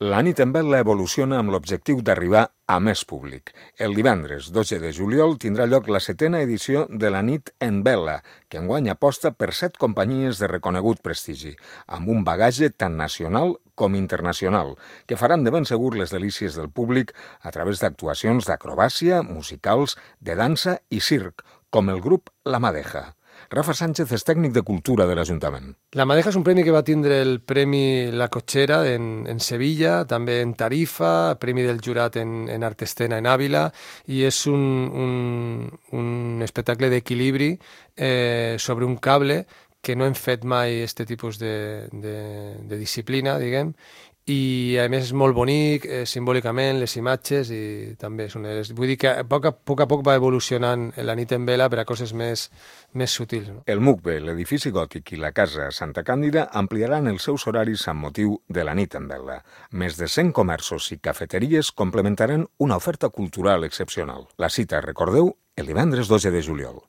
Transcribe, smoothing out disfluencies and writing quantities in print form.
La nit en Vela evoluciona amb l'objectiu d'arribar a més públic. El divendres 12 de juliol tindrà lloc la 7ª edició de la nit en Vela, que enguany aposta per 7 companyies de reconegut prestigi, amb un bagatge tant nacional com internacional, que faran de ben segur les delícies del públic a través d'actuacions d'acrobàcia, musicals, de dansa i circ, com el grup La Madeja. Rafa Sánchez és tècnic de cultura de l'Ajuntament. La Madeja és un premi que va tindre el Premi La Cotxera en Sevilla, també en Tarifa, Premi del Jurat en Art Escena en Àvila, i és un espectacle d'equilibri sobre un cable que no hem fet mai aquest tipus de disciplina, diguem, i a més és molt bonic, simbòlicament, les imatges, i també és vull dir que a poc a poc va evolucionant la nit en vela per a coses més sutils. No? El MUCBE, l'edifici gòtic i la Casa Santa Càndida ampliaran els seus horaris amb motiu de la nit en vela. Més de 100 comerços i cafeteries complementaran una oferta cultural excepcional. La cita, recordeu, el divendres 12 de juliol.